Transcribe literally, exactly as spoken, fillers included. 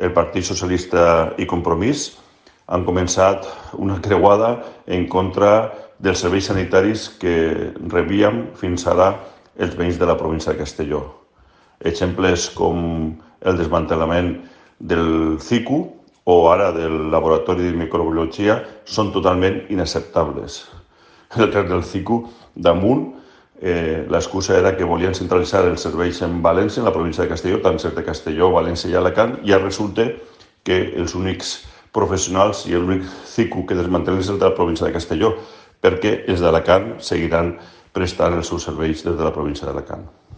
el Partit Socialista i Compromís han començat una creuada en contra dels serveis sanitaris que rebíem fins ara els veïns de la província de Castelló. Exemples com el desmantellament del C I C U o ara del Laboratori de Microbiologia són totalment inacceptables. En el cas del C I C U, damunt, eh, l'excusa era que volien centralitzar els serveis en València, en la província de Castelló, tant ser de Castelló, València i Alacant, i ara resulta que els únics professionals i l'únic C I C U que desmantellen és el de la província de Castelló, perquè els d'Alacant seguiran prestant els seus serveis des de la província d'Alacant.